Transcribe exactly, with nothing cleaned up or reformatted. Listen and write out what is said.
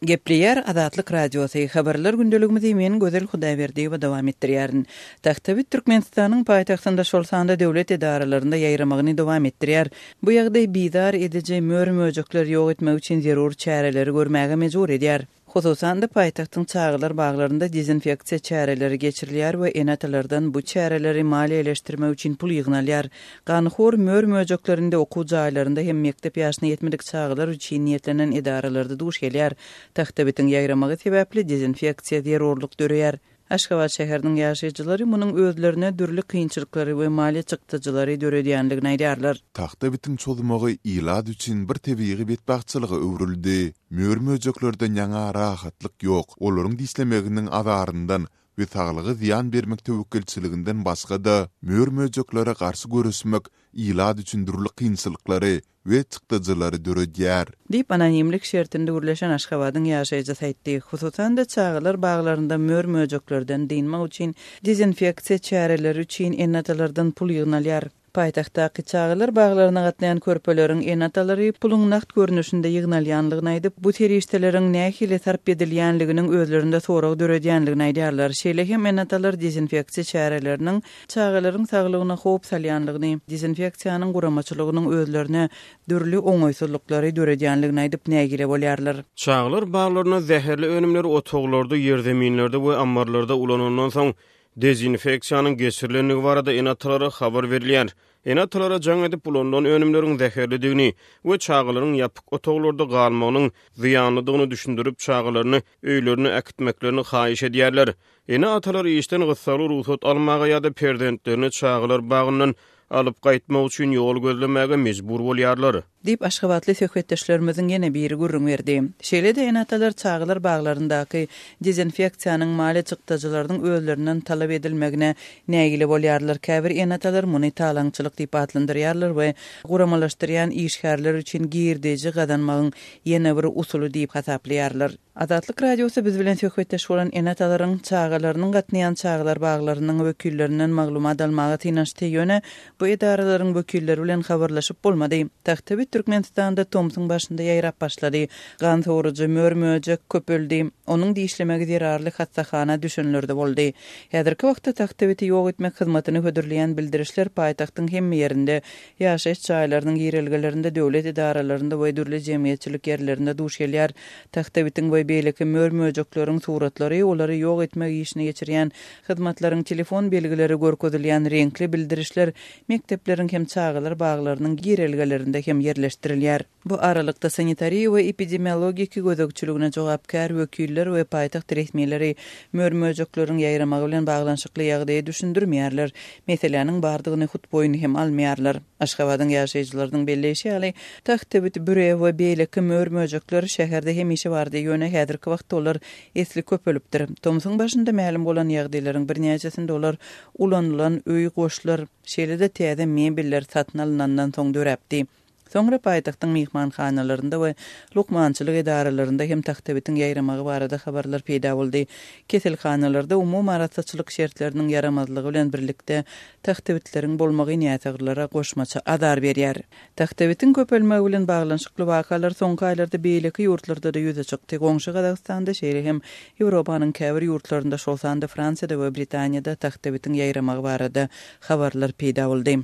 Gepleýär Azatlyk Radiosy, Habarlar gündeligimizi men Gözel Hudaýberdiýewa dowam etdirýärin. Tagtabit Türkmenistanyň paýtagtynda, şol sanda döwlet edaralarynda ýaýramagyny dowam etdirýär. Bu ýagdaý bizar ediji mör-möjekleri ýok etmek üçin zerur çäreleri görmäge mejbur edýär. Hususan-da, paýtagtyň çagalar baglarynda dezinfeksiýa çäreleri geçirilýär we ene-atalardan bu çäreleri maliýeleşdirmek üçin pul ýygnalýar. Ganhor mör-möjeklerinde okuw jaýlarynda hem mekdep ýaşyna ýetmedik çagalar üçin niýetlenen edaralarda duş gelýär. Tagtabitiň ýaýramagy sebäpli dezinfeksiýa zerurlyk döreýär. Aşgabat şäheriniň ýaşaýjylary munuň özlerine dürli kynçylyklary we maliýe çykdajylary döredýändigini aýdýarlar. Tagtabitiň çozmagy ilat üçin bir tebigy betbagtçylyga öwrüldi. Mör-möjeklerden ýaňa rahatlyk ýok, olaryň dişlemeginiň azaryndan we saglyga zyýan bermek töwekgelçiliginden başga-da, mör-möjeklere garşy göreşmek ilat üçin dürli kynçylyklary we çykdajylary döredýär. Diýip, anonimlik şertinde gürleşen Aşgabadyň ýaşaýjysy aýtdy. Hususan-da, çagalar baglarynda mör-möjeklerden dynmak üçin dezinfeksiýa çäreleri üçin ene-atalardan pul ýygnalýar. Paýtagtdaky çagalar baglaryna gatnaýan körpeleriň ene-atalary puluň nagt görnüşinde ýygnalýanlygyny aýdyp, bu serişdeleriň nähili sarp edilýänliginiň özlerinde sorag döredýänligini aýdýarlar. Şeýle hem ene-atalar dezinfeksiýa çäreleriniň çagalaryň saglygyna howp salýanlygyny, dezinfeksiýanyň guramaçylygynyň özlerine dürli oňaýsyzlyklary döredýänligini aýdyp nägile bolýarlar. Çagalar baglarynda zäherli önümleri otaglarda, ýerzeminlerde we ammarlarda ulanandan soň, dezinfeksiýanyň geçirilendigi barada ene-atalara habar berilýär. Ene-atalara jaň edip, ulanylan önümleriň zäherlidigini we çagalaryň ýapyk otaglarda galmagynyň zyýanlydygyny düşündirip, çagalaryny öýlerine äkitmeklerini haýyş edýärler. Ene-atalar işden gyssagly rugsat almaga ýa-da perzentlerini çagalar bagyndan alyp gaýtmak üçin ýol gözlemäge mejbur bolýarlar. Diýip, aşgabatly söhbetdeşlerimiziň ýene biri gürrüň berdi. Şeýle-de ene-atalar çagalar baglaryndaky dezinfeksiýanyň maliýe çykdajylarynyň özlerinden talap edilmegine nägile bolýarlar. Käbir ene-atalar muny talaňçylyk diýip atlandyrýarlar we guramalaşdyrýan işgärler üçin girdeji gazanmagyň ýene bir usuly diýip hasaplaýarlar. Azatlyk Radiosy biz bilen söhbetdeş bolan ene-atalaryň çagalarynyň gatnaýan çagalar baglarynyň wekillerinden maglumat almaga synanyşdy, ýöne bu edaralaryň wekilleri bilen habarlaşyp bolmady. Tagtabit Türkmenistanda tomsuň başynda ýaýrap başlady. Gan sorujy mör-möjek köpeldi. Onuň dişlemegi zerarly hassahana düşenler-de boldy. Häzirki wagtda tagtabiti ýok etmek hyzmatyny hödürleýän bildirişler paýtagtyň hemme ýerinde, ýaşaýyş jaýlarynyň girelgelerinde, döwlet edaralarynda we dürli jemgyýetçilik ýerlerinde duş gelýär. Tagtabitiň we beýleki mör-möjekleriň suratlary, olary ýok etmek işini geçirýän hyzmatlaryň telefon belgileri görkezilýän reňkli bildirişler mekdepleriň hem çagalar baglarynyň girelgelerinde hem ýerleşdirilýär. Bu aralykda, sanitariýa we epidemiologiki gözegçiligine jogapkär wekiller we paýtagt resmileri mör-möjekleriň ýaýramagy bilen baglanyşykly ýagdaýy düşündirmeýärler, meseläniň bardygyny hut boýun hem almaýarlar. Aşgabadyň ýaşaýjylarynyň belleýşi ýaly, tagtabit, büre we beýleki mör-möjekler şäherde hemişe bardy, ýöne häzirki wagtda olar esli köpelipdir. Tomsuň başynda mälim bolan ýagdaýlaryň birnäçesinde olar ulanylan öý goşlar, şeýle-de täze mebeller satyn alnandan soň döräpdi. Soňra paýtagtyň myhmanhanalarynda we lukmançylyk edaralarynda hem tagtabitiň ýaýramagy barada habarlar peýda boldy. Keselhanalarda umumy arassaçylyk şertleriniň ýaramazlygy bilen birlikde tagtabitleriň bolmagy näsaglara goşmaça azar berýär. Tagtabitiň köpelmegi bilen baglanyşykly wakalar soňky aýlarda beýleki ýurtlarda-da ýüze çykdy. Goňşy Gazagystanda, şeýle hem Ýewropanyň käbir ýurtlarynda, şol sanda Fransiýada we Britaniýada tagtabitiň ýaýramagy barada habarlar peýda boldy.